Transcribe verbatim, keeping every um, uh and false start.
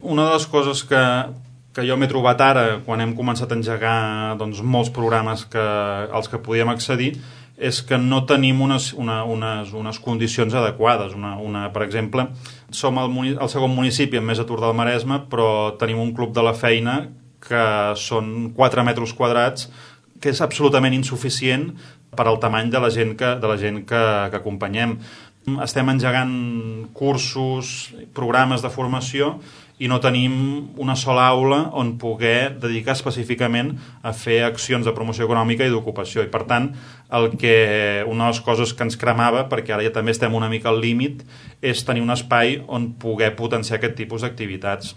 Una de les coses que, que jo m'he trobat ara, quan hem començat a engegar doncs, molts programes que, als que podíem accedir, és que no tenim unes, una, unes, unes condicions adequades. Una, una, per exemple, som el, el segon municipi amb més atur del Maresme, però tenim un club de la feina que són quatre metres quadrats, que és absolutament insuficient per al tamany de la gent que, de la gent que, que acompanyem. Estem engegant cursos, programes de formació, i no tenim una sola aula on poder dedicar específicament a fer accions de promoció econòmica i d'ocupació. I per tant, el que, una de les coses que ens cremava, perquè ara ja també estem una mica al límit, és tenir un espai on poder potenciar aquest tipus d'activitats.